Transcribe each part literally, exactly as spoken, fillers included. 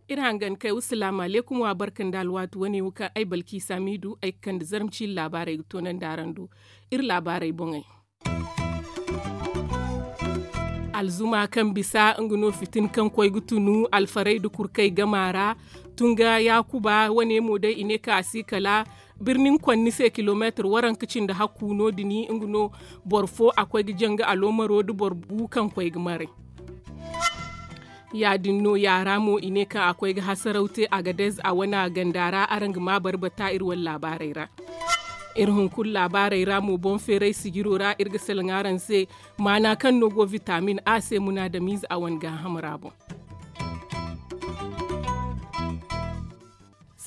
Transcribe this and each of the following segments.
Iri hangan kay wa salaamu aleykum wa barka nda alwaati wane wo kaŋ ay balki samidu ay ga kande zarma ciiri laabaarey ga toonandi araŋ do. Iri laabaarey boŋey. Alzuma kaŋ bisa nga no fitin kaŋ koy ga tunu alfarayda kurkey gama ra. Tunga yaakuba wane mo day i ne kaŋ a si kala birnin kwanni se kilomeetir waranka cindi hakku no- din nga no. Boro fo a koy ga janga aloomaro nda boro bu kaŋ koy ga maray. Ya- din no yaara mo i ne kaŋ a koy ga hasaraw te agadez a wana ganda ra araŋ ga ma barbata iri wane laabaarey ra. Iri hunkuna laabaarey ra mo boŋ feeray sijiro ra iri ga salaŋ araŋ se. Maana kaŋ no go vitamin a se munaadamiize a wane gaaham ra boŋ.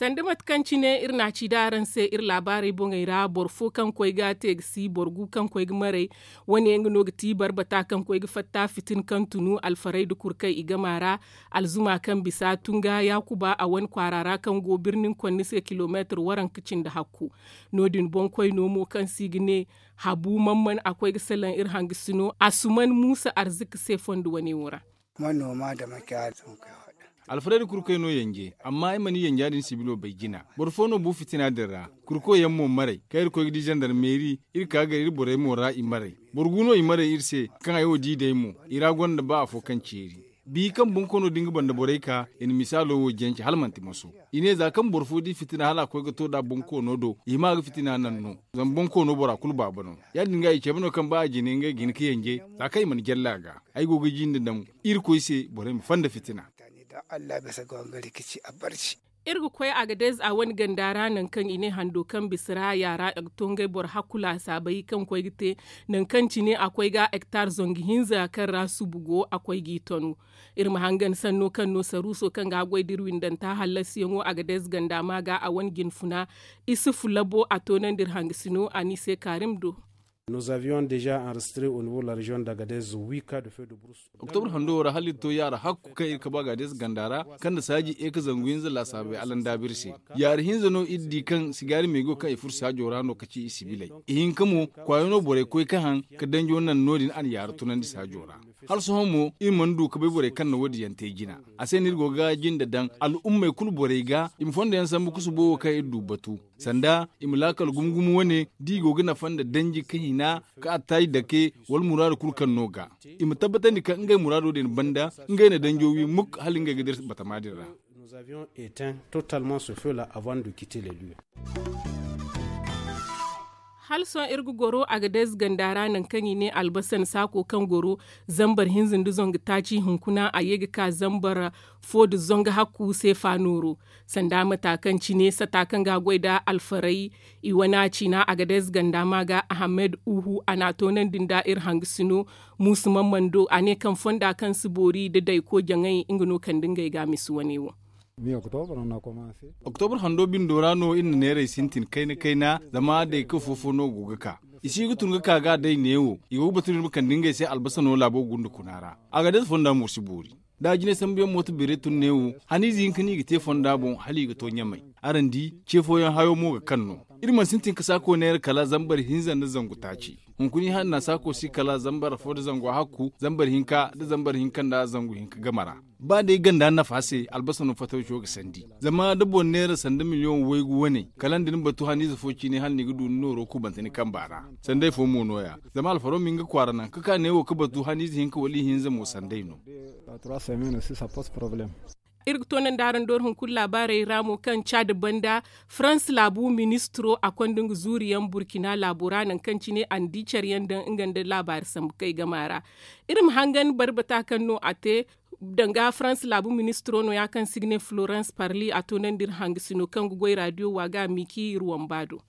Sanda mate kaŋ cine iri na a ci da araŋ se iri laabaarey boŋey ra boro fo kaŋ koy ga te ga si boro gu kaŋ koy ga maray. Wane nga no ga ti barbata kaŋ koy ga fatta fitin kaŋ tunu alfarayda kurkey i gama ra. Alzuma kaŋ bisa tunga yaakuba a wane kwaara ra kaŋ go birnin kwanni se kilomeetir waranka cindi hakku. No- din boŋkoyno mo kaŋ se i ga ne habu mamman a koy ga salaŋ iri hangasino asuman muusa arzika se fondo wane wo ra. Manoma da makiyaya sun kai faɗa. Alfarayda kurkey no yanje amma ay mana yanja din sibilo bay jina. Boro fo no bu fitina din ra. Kurkoy yaŋ mo maray kaŋ iri koy ga di zandarmeeri. Iri ka gar iri borey mo ra i maray. Boro gu no i maray iri se. Kaŋ ay wo di day mo i ra gonda ba afo kaŋ ceeri. Bihi kaŋ bonkoono din ga banda borey ka i na misaalo wo jance hala manti maso. I ne za kaŋ boro fo di fitina hala a koy ga to nd'a bonkoono do i hima ga fitina naŋ no. Zama bonkoono bora kulu baaba no. Ya- din ga i cabe no kaŋ ba a jine ngey ga hin ga yanje. Za kaŋ i mana jalle a ga ay go ga jinde daŋ irkoy se borey ma fanda fitina. Iri ga koy agadez a wane ganda ra nangu kaŋ i ne hando kaŋ bisa ra yaara a ga to ngey boro hakku laasaabey kaŋ koy ga te. Nangu kaŋ cine a koy ga hektar zangu hinza kaŋ ra subu go a koy g'i tanu. Iri ma hangan sanno kaŋ no saruuso kaŋ ga a goy da iri windanta hallasiyaŋo agadez ganda ma ga a wane jinfuna. Isufu labo a toonandi iri hangasino a n'i se kaarim do. Nous avions déjà enregistré au niveau de la région d'agadez huit cas de feu de brousse. Oktobra hando wo ra hala iri to yaara hakku kaŋ iri kabu agadez ganda ra kaŋ nda saaji e ka zangu hinza laasaabey alanda biri se. Yaara hinza no iri di kaŋ sigaari meego kaŋ i furo saajo ra no ka ci i sibiley. Ihinka mo kwaayo no borey koy ka haŋ ka danjo naŋ no- din a na yaara tunandi saajo ra. Hala sohõ mo iri mana du ka bay borey kaŋ na wo- din yaŋ te jina. A se no iri go ga jinde daŋ al'ummey kulu borey ga i ma fondo yaŋ sambu ka subo wo kaŋ iri du batu. Sanda i ma laakal gumo gumo wane da i go ga nafa nda danji ka hina ka attaaji dake wala muraadu kulu kaŋ no ga i ma tabbatandi kaŋ ngey muraado din banda ngey na danjo wi muk hala ngey ga dira batama din ra. Nous avions éteint totalement ce feu là avant de quitter les lieux. Hala sohõ iri ga goro agadez ganda ra nangu kaŋ i ne albasan saako kaŋ goro zambar hinza nda zangu taaci hunkuna a ye ga ka zambar fo nda zangu hakku seefa nooro. Sanda mata kaŋ cine sata kaŋ ga a goy nda alfaray i wana ciina agadez ganda ma ga ahamed uhu a n'a toonandi nda iri hangasino muusu mammando a ne kaŋ fonda kaŋ si boori nda dayko jaŋay nga no kande ngey ga a misi wane wo. Oktobra hando bindo ra no iri na neeray sintin kayna kayna zama day kaŋ fofo no go ga ka. I si ga tun ga ka ga day neewo i go ga batu no ni ma kande ngey se albasa no laabo gunda kuna ra. Agadez fonda mo si boori da a jine sambuyaŋ mooto beeray tun neewo haniize hinka no i ga te fonda boŋ hala i ga to ɲamay. Araŋ di ce fooyaŋ hayo mo ga kaŋ no. Iri mana sintin ka saako neera kala zambar hinza nda zangu taaci. Hunkuna i hanna saako si kala zambar fo nda zangu hakku zambar hinka nda zambar hinka nda zangu hinka game ra. Ba day ganda nafa se albasa no fatawco ga sandi zama da boro neera sanda miliyoŋ waygu wane kala nda ni batu haniize fo ciine hala ni ga du ni nooro kubante ni kamba ra. Sanday fo mo no- ya zama alfaro ma hin ga kwaara naŋ ka ka neewo ga batu haniize hinka wala ihinza mo sanday no. Iri ga toonandi araŋ doori hunkuna laabaarey ra mo kaŋ caada banda farans laabu ministiro a konda nga zuuriyaŋ burkina laabo ra nangu kaŋ cine a na di care yaŋ daŋ nga nda laabaari sambu kay game ra. Iri ma hangan barbata kaŋ no a te danga farans laabu ministiro no- ya kaŋ se i ga ne florence parli a toonandi iri hangasino kaŋ ga goy raadiyo waaga miki iri wamba do.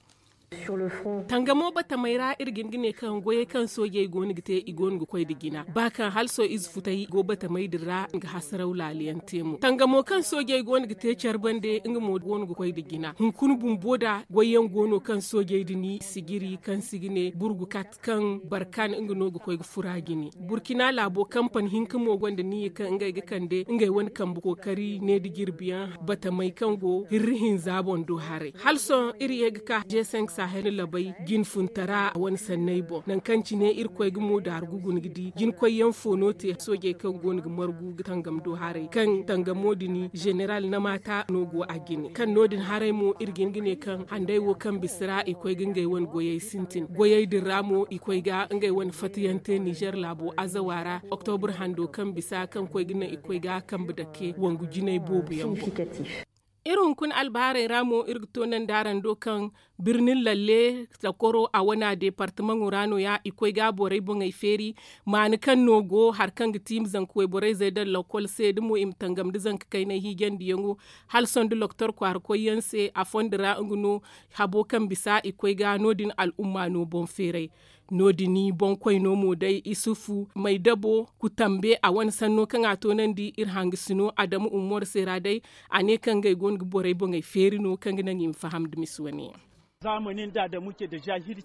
Tangamo batamey ra iri ga hin ga ne kaŋ goyey kaŋ soojey go no ga te i go no ga koy nda jina ba kaŋ hala sohõ ize futay go batamey din ra nga hasaraw laala yaŋ te mo tangamo kaŋ soojey go no ga te care bande nga mo go no ga koy nda jina hunkuna bumbo nda goy yaŋ go no kaŋ soojey din sijiri kaŋ se i ga ne burgu kat kaŋ barkan nga no ga koy ga fura jine burkina laabo kampani hinka mo gonda niya kaŋ ngey ga kande ngey wane kambe kookari ne nda jirbi yaŋ batamey kaŋ go hirri hinza boŋ do haray hala sohõ iri ye ga ka jeeseŋ sahel labay jinfuntara a wane sanney boŋ nangu kaŋ cine iri koy ga mo daaru ga guna ga di jinkoy yaŋ fo no te soojey kaŋ go no ga margu ga tangam do haray kaŋ tangamo din zeneral namaata no go a jine kaŋ no- din haray mo iri ga hin ga ne kaŋ handay wo kaŋ bisa ra i koy ga ngey wane goyey sintin goyey din ra mo i koy ga ngey wane fattayaŋ te nizer laabo azawa ra oktobur hando kaŋ bisa kaŋ koy ga naŋ i koy ga kambe dake wangu jinay boobo yaŋ boŋ. Iri hunkuna albahaarey ra mo iri ga toonandi araŋ do kaŋ birnin lalle takoro a wana deepartamaŋo ra no- ya i koy ga borey boŋey feeri maani kaŋ no go hari kaŋ ga ti i ma zanka wayborey zey daŋ lakkol se da mo i ma tangam nda zanka kaynay hiijandiyaŋo hala sohõ nda loktor kwaara koyyaŋ se a fondo ra nga no habo kaŋ bisa i koy ga no- din al'umma no boŋ feeray no- din boŋkoyno mo day isufu may dabo kutambe a wane sanno kaŋ a toonandi iri hangasino adamu ummor se ra day a ne kaŋ ngey go no ga borey boŋey feeri no kaŋ ga naŋ i ma faham nda misi wane yaŋ.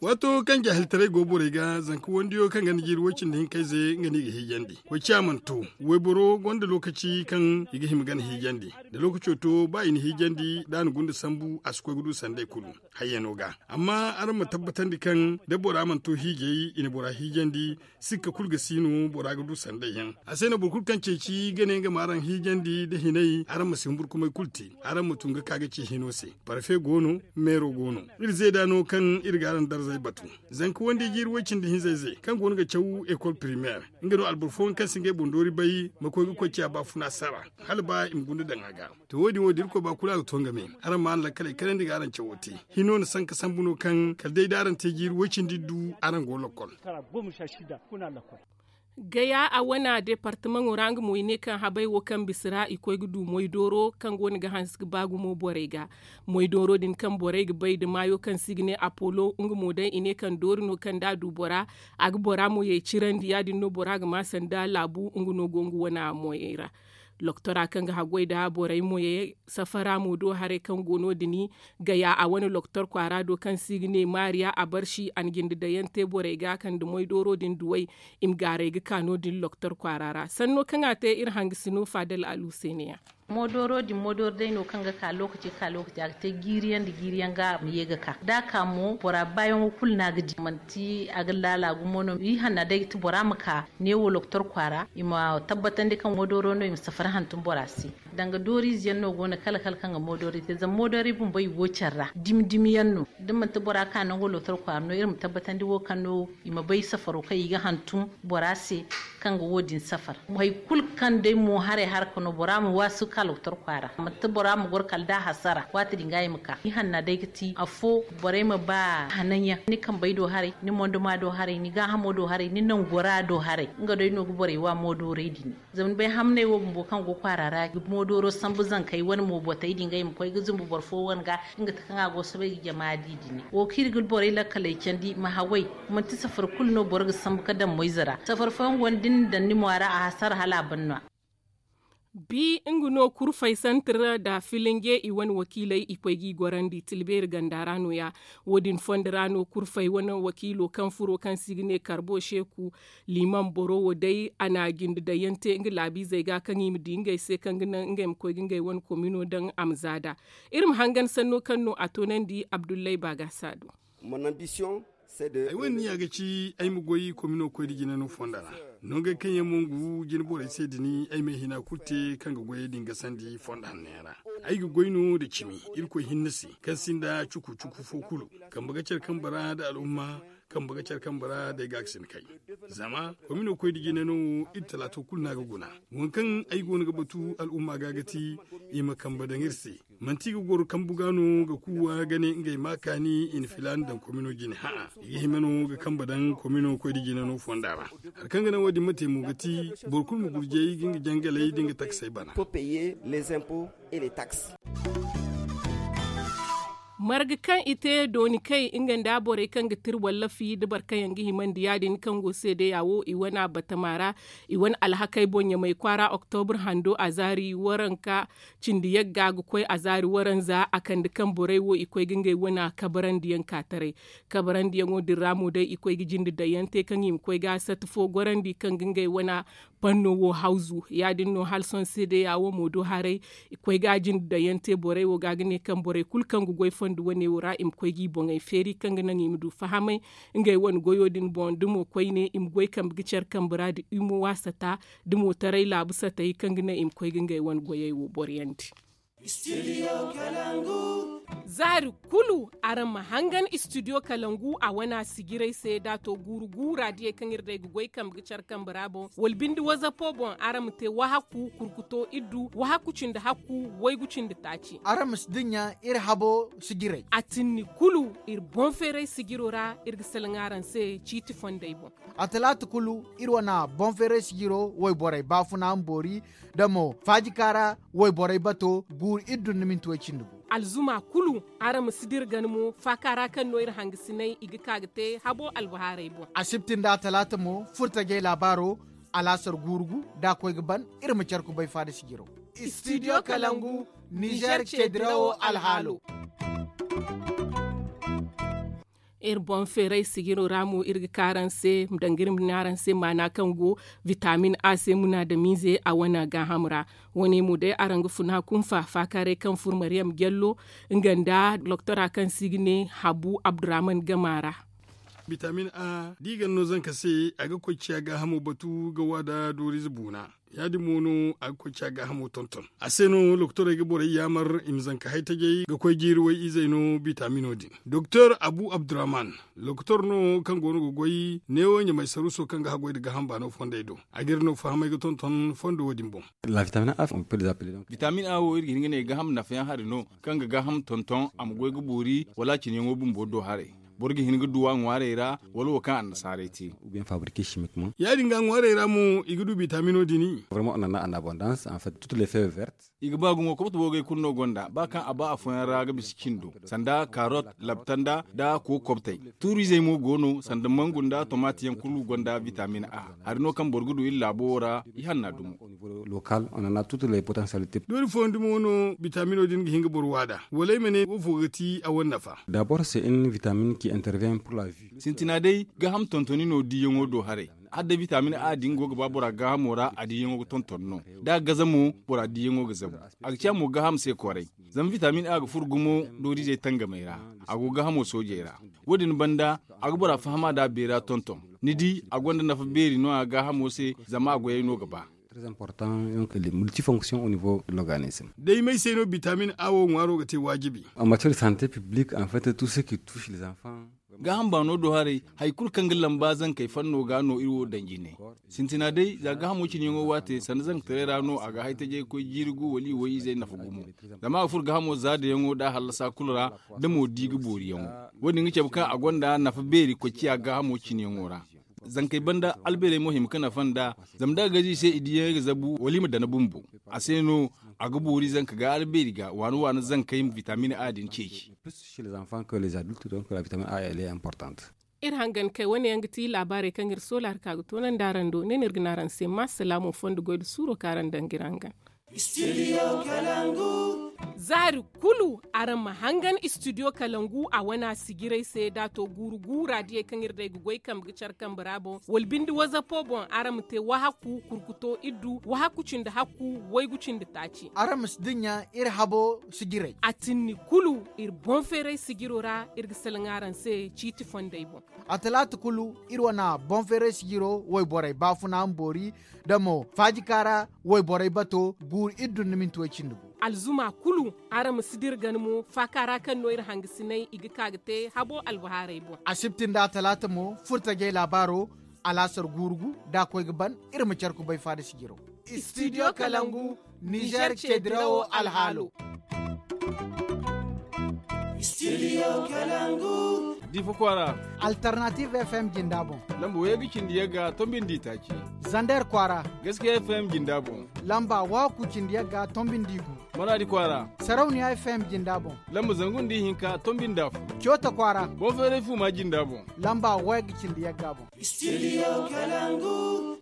Waato kaŋ jaahiltaray go borey ga zanka wandiyo kaŋ ganda jiiri way-cindi hinkayze nga no i ga hiijandi koy ciya mana to wayboro gonda lookaci kaŋ i ga hima gana hiijandi da lookaco to ba i na hiijandi da a na gunda sambu a si koy ga du sanday kulu hayyano ga amma araŋ ma tabbatandi kaŋ da bora mana to hiijay i na bora hiijandi sikka kulu ga si no bora ga du sanday yaŋ a se no boro kulu kaŋ ceeci ga ne nga ma araŋ hiijandi da hinay araŋ ma si humburkumay kulu te araŋ ma tun ga ka ga ci hino se parfe go no meero go no iri zeeda no kaŋ iri ga araŋ darzey batu zanka wandi jiiri way-cindi hinzey ze kaŋ go no ga caw ekol primeer nga no alboro fooyaŋ kaŋ si ngey boŋ doori bay ma koy ga koy ciya baafuna sara hala ba i ma gunda daŋ a ga to wo- din wo da irkoy ba kulu a ga to nga me araŋ ma araŋ lakkaley kanandi ga araŋ cawo te hino na sanka sambu no kaŋ kala day da araŋ te jiiri way-cindi du araŋ go lakkol. Gaya a wana deepartamaŋo ra nga mo i ne kaŋ habay wo kaŋ bisa ra i koy ga du moydooro kaŋ go no ga hanse ga ba gumo borey ga moydooro din kaŋ borey ga bay nda maayo kaŋ se i ga ne apolo nga mo day i ne kaŋ doori no kaŋ da a du bora a ga bora mo yay cirandi ya- din no bora ga ma sanda laabu nga no go nga wana moyey ra loktora kaŋ ga haggoy nda borey moyey safara mo do haray kaŋ go no- din gaya a wane loktor kwaara do kaŋ se i ga ne maariya a barsi a na jinde daŋ yaŋ te borey ga kaŋ nda moydooro din duwey i ma gaaray ga ka no- din loktor kwaara ra sanno kaŋ a te iri hangasino faadal alu se ne- ya. Moodoro din moodoro day no kaŋ ga ka lookaci ga ka lookaci a ga te jiiri yaŋ nda jiiri yaŋ ga a ma ye ga ka da a ka mo bora baayaŋo kulu no a ga di manti a ga laala gumo no i hanna day ga ti bora ma ka neewo loktor kwaara i ma tabbatandi kaŋ moodoro no i ma safari hantum bora se. Danga dooriize yaŋ no go no kala kala kaŋ ga moodoro te zama moodoro i bumbo i go care ra dimi dimi yaŋ no da manti bora ka nango loktor kwaara no iri ma tabbatandi wo kaŋ no i ma bay safaro kaŋ i ga hantum bora se kaŋ ga wo- din safar. Hari kulu kaŋ day mo haray harka no bora ma waasu ka loktor kwaara manti bora ma goro kala da hasara waati din ga i ma ka i hanna day ga ti afo borey ma ba hanan yaŋ ni kambey do haray ni monduma do haray ni gaahamo do haray ni nangora do haray nga day no ga borey wa moodoorey din. Zama ni bay hamney wo bumbo kaŋ go kwaara ra ga moodoro sambu zankey wane mo botey din ga i ma koy ga zumbu boro fo wane ga nga ti kaŋ a go soobay ga jama di din wo kaŋ iri ga borey lakkaley candi ma haway manti safar kulu no boro ga sambu ga daŋ moyze ra safar fooyaŋ go no da ni na daŋ ni mo a ra a hasara hala a ban no- ya. Bi nga no kurfay santir da filinge i wane wakiiley i koy ga i gorandi tilbeeri ganda ra no- ya. Wo- din fondo ra no kurfay wane wakiilo kaŋ furo kaŋ se i ga ne karbo seeku liman boro wo day a na jinde daŋ yaŋ te nga laabiizey ga kaŋ i ma di ngey se kaŋ ga naŋ ngey ma koy ga ngey wane komino daŋ a ma zaada. Iri ma hangan sanno kaŋ no a toonandi abdullay baagasa do. Ay wane niya ga ci ay ma goy komino koy nda jina no fonda ra. Nongey kaŋ yaŋ mo ngu jina borey se da ni ay ma ay hina kulu te kaŋ ga goyey din gasandi fonda hanno yaŋ ra. Ay ga goy no nda cimi irkoy hinne se kaŋ sinda cuku cuku fo kulu. Kambe ga care kambe ra nda al'umma kambe ga care kambe ra day ga ga si ni kay. Zama komino koy nda jina no wo iri talaato kulu no a ga guna. Waŋ kaŋ ay go no ga batu al'umma ga ga ti i ma kambe daŋ iri se. Manti i ga goro kambu ga no ga kuuwa ga ne ngey ma kaani i na filaana daŋ komino jine ha'a i ga hima no ga kambe daŋ komino koy nda jina no fonda ra. Hari kaŋ ga naŋ wo- din ma te mo ga ti boro kulu ma gurjay ga nga jangaley da nga taksey bana. Faut payer les impôts et les taxes. Marga kaŋ i te dooni kay nga nda borey kaŋ ga tira wallafi da boro kaŋ yaŋ ga himandi ya- din kaŋ go seedeya wo i wane batama ra. I wane alhakey boŋ ɲamay kwaara oktobur hando a zaari waranka cindi yagga ga koy a zaari waranza a kande kaŋ borey wo i koy ga ngey wane kabarandiyaŋ ka taray. Kabarandiyaŋo din ra mo day i koy ga jinde dayyante kaŋ i ma koy ga sata fo gorandi kaŋ ga ngey wane panno wo hawzu ya- din no hala sohõ seedeya wo mo do haray. I koy ga a jinde dayyante borey wo ga ga ne kaŋ borey kulu kaŋ ga goy fondo wane wo ra i ma koy ga i boŋey feeri kaŋ ga naŋ i ma du fahamay. Ngey wane goyo din boŋ da mo koyne i ma goy kambe ga care kambe ra da i ma waasata da mo taray laabu satey kaŋ ga naŋ i ma koy ga ngey wane goyey wo boryandi. Zaari kulu araŋ ma hangan istidiyo kalangu a wana sijiray se da a to guuru gu raadiyey kaŋ iri day ga goy kambe ga care kambe ra boŋ wala binde wazapo boŋ araŋ ma te wahakku kurkuto iddu wahakku cindi hakku waygu cindi taaci. Araŋ ma si dinya iri habo sijiray. A tinni kulu iri boŋ feeray sijiro ra iri ga salaŋ araŋ se ciiti fondey boŋ. A talaata kulu iri wane boŋ feeray sijiro wayborey baafuna ma boori da mo faajika ra wayborey bato guuru iri dunduminti way cindi gu. Alzuma kulu araŋ ma si dira gana mo faaka ra kaŋ no iri hangasinay i ga ka ga te habo albahaarey boŋ. Asibti nda talaata mo furtajey laabaaro alaasar guuru gu da a koy ga ban iri ma care kubay faada sijiro. Istidiyo kalangu nizer ceedirawo alhaalo. Iri boŋ feeray sijiro ra mo iri ga ka araŋ se danga iri ma ne araŋ se maana kaŋ go vitamin a se munaadamiize a wane gaaham ra. Wane mo day araŋ ga funa kunfa faakaaray kaŋ furo mariyam jallo nga nda doktora kaŋ se i ga ne habu abdurrahman gama ra. Bitamin a da i gana no zanka se a ga koy ciya gaahamo batu ga waada doorize buuna. Ya- din mo no a ga koy ciya gaahamo tonton a se no lokotorey ga borey yaamar i ma zanka haytajey ga koy jiiri way-izey no bitamino din. Doktor abu abdurrahman lokotor no kaŋ go no ga goy neewo ɲamay saruuso kaŋ ga haggoy nda gaaham baano fondey do. A ga iri no fahamay ga tonton fondo wo- din boŋ. Bitamin a wo iri ga hin ga ne gaaham nafayaŋ hari no kaŋ ga gaaham tonton a ma goy ga boori wala a cine yaŋo bumbo do haray. Boro ga hin ga du a ŋwaarey ra wala wo kaŋ annasaarey te. Ya- din ga a ŋwaarey ra mo i ga du bitamino din. I ga ba gumo kobto boogey kulu no gonda ba kaŋ a ba afooyaŋ ra ga bisa cindo sanda karot labtanda nda kookobtey. Tuuriizey mo go no sanda mangu nda tomaati yaŋ kulu gonda bitamin a. Hari no kaŋ boro ga du iri laabo wo ra i hanna dumo. Doori fooyaŋ dumo no bitamino din ga hin ga boro waada wala ay ma ne wo fo ga ti a wane nafa. Sintina day gaaham tontoni no diiyaŋo do haray. Hala day bitamin a din go ga ba bora gaahamo ra a diiyaŋo ga tonton no da a gaza mo bora diiyaŋo ga zabu. A ga ciya mo gaaham se kwaray. Zama bitamin a ga furo gumo dooriizey tangamey ra. A go gaahamo soojey ra. Wo- din banda a ga bora fahama da a beera tonton. Ni di a gonda nafa beeri no- ya gaahamo se zama a goyey no ga ba. Day may se no bitamin a wo ŋwaaro ga te waajibi. Gaaham baano do haray hari kulu kaŋ ga lamba zankey fanno ga no iri wo daŋ jine. Sintina day za gaahamo cine yaŋo waate sanda zankataray ra no a ga haytajey ga koy jiiri gu wala i wo-izey nafa gumo. Zama a ga furo gaahamo zaadayaŋo nda a hallasa kulu ra da mo di ga booriyaŋo. Wo- din ga cabe kaŋ a gonda nafa beeri koy ciya gaahamo cine yaŋo ra. Zankey banda albeerey mo hima ga nafa nd'a. Zama da a gaze i se i diiyaŋey ga zabu wala i ma dana bumbo. A se no a ga boori zanka ga albeeri ga waana waana zankey ma bitamin a din ceeci. Iri hangan kay wane yaŋ ga ti laabaarey kaŋ iri soola hari ka ga toonandi araŋ do ne no iri ga ne araŋ se ma salaamo fondo goy nda suuro kaŋ araŋ daŋ ga iri hangan. Zaari kulu araŋ ma hangan istidiyo kalangu a wana sijiray se da a to guuru gu raadiyey kaŋ iri day ga goy kambe ga care kambe ra boŋ wala binde wazapo boŋ araŋ ma te wahakku kurkuto iddu wahakku cindi hakku waygu cindi taaci. Araŋ ma si dinya iri habo sijiray. A tinni kulu iri boŋ feeray sijiro ra iri ga salaŋ araŋ se ciiti fondey boŋ. A talaata kulu iri wane boŋ feeray sijiro wayborey baafuna ma boori da mo faajika ra wayborey bato guuru iri dunduminti way cindi gu. Alzuma kulu araŋ ma si dira gana mo faaka ra kaŋ no iri hangasinay i ga ka ga te habo albahaarey boŋ. Asibti nda talaata mo furtajey laabaaro alaasar guuru gu da a koy ga ban iri ma care kubay faada sijiro. Istidiyo kalangu nizer ceedirawo alhaalo. Difa kwaara. Alternative fm jinda boŋ. Lamba wayey ga cindi yagga tombindi taaci. Zander kwaara. Gaskiya fm jinda boŋ. Lamba waakku cindi yagga tombindi gu. Maraadi kwaara. Sarauniya F M jinda boŋ. Lamba zangu nda ihinka tombi nda afo. Coota kwaara. Boŋ feeray fuuma jinda boŋ. Lamba wayga cindi yagga boŋ. Studio Kalangu.